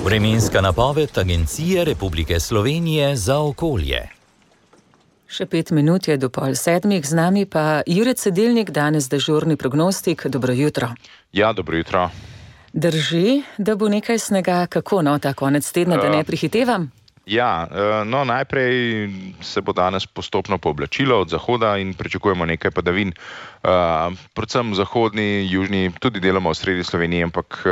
Vremenska napoved Agencije Republike Slovenije za okolje. Še 5 minut je do 6:30, z nami pa Jure Cedilnik, danes dežurni prognostik. Dobro jutro. Ja, dobro jutro. Drži, da bo nekaj snega, kako ta konec tedna, da ne prihitevam? Ja, najprej se bo danes postopno pooblačilo od zahoda in pričakujemo nekaj padavin. Predvsem v zahodni, južni, tudi deloma v sredi Slovenije, ampak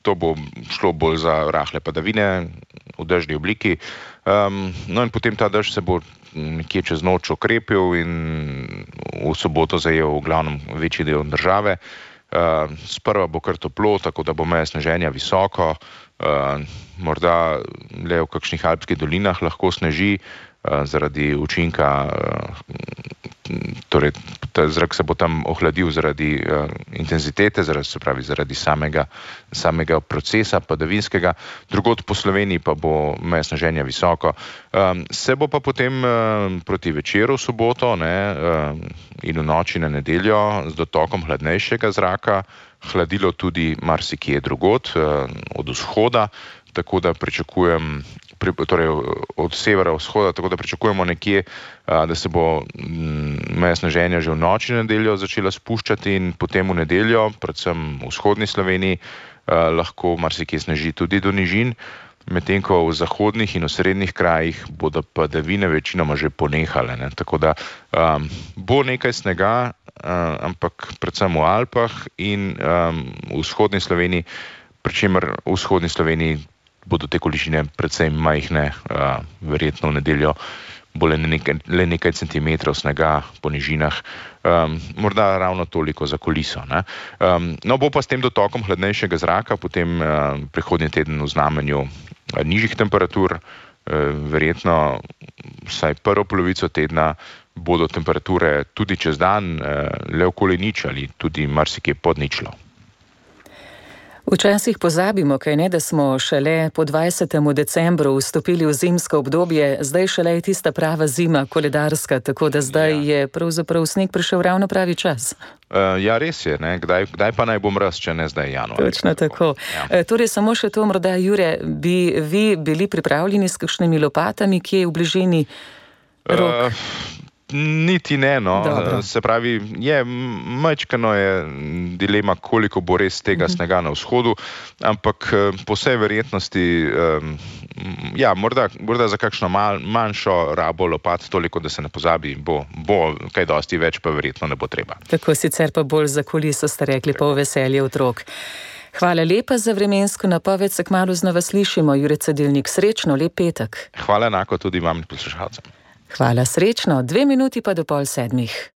to bo šlo bolj za rahle padavine v dežni obliki. No in potem ta dež se bo nekje čez noč okrepil in v soboto zajel v glavnem večji del države. Sprva bo kar toplo, tako da bo meja sneženja visoko, morda le v kakšnih alpskih dolinah lahko sneži zaradi učinka, torej ta zrak se bo tam ohladil zaradi intenzitete, zaradi samega procesa padavinskega. Drugod po Sloveniji pa bo meja sneženja visoko. Se bo pa potem proti večeru v soboto in v noči na nedeljo z dotokom hladnejšega zraka hladilo tudi marsikje drugod od vzhoda, tako da pričakujem, torej od severa vzhoda, tako da pričakujemo nekje, da se bo meja sneženja že v noči na nedeljo začela spuščati in potem v nedeljo, predvsem v vzhodni Sloveniji, lahko marsikje sneži tudi do nižin, medtem ko v zahodnih in osrednjih krajih bodo padavine večinoma že ponehale. Tako da bo nekaj snega, ampak predvsem v Alpah in v vzhodni Sloveniji, pri čemer v vzhodni Sloveniji bodo te količine predvsem majhne, verjetno v nedeljo bo le nekaj centimetrov snega po nižinah, morda ravno toliko za kuliso. No, bo pa s tem dotokom hladnejšega zraka potem prihodnji teden v znamenju nižjih temperatur, verjetno vsaj prvo polovico tedna bodo temperature tudi čez dan le okoli nič ali tudi marsikje pod ničlo. Včasih pozabimo, da smo šele po 20. decembru vstopili v zimsko obdobje, zdaj šele je tista prava zima, koledarska, tako da zdaj je pravzaprav sneg prišel ravno pravi čas. Ja, res je, kdaj pa naj bo mraz, če ne zdaj januar. Točno tako. Ja. Torej, samo še to, morda, Jure, bi vi bili pripravljeni s kakšnimi lopatami, kje je v bližini rok? Niti ne, se pravi, majčkeno je dilema, koliko bo res tega snega na vzhodu, ampak po vsej verjetnosti, morda za kakšno manjšo rabo lopat, toliko, da se ne pozabi, bo kaj dosti več, pa verjetno ne bo treba. Tako, sicer pa bolj za kuliso, ste rekli, pa v veselje otrok. Hvala lepa za vremensko napoved, se kmalu znova slišimo. Jure Cedilnik, srečno, lep petek. Hvala enako tudi vam in poslušalcem. Hvala, srečno. 2 minuti pa do 6:30.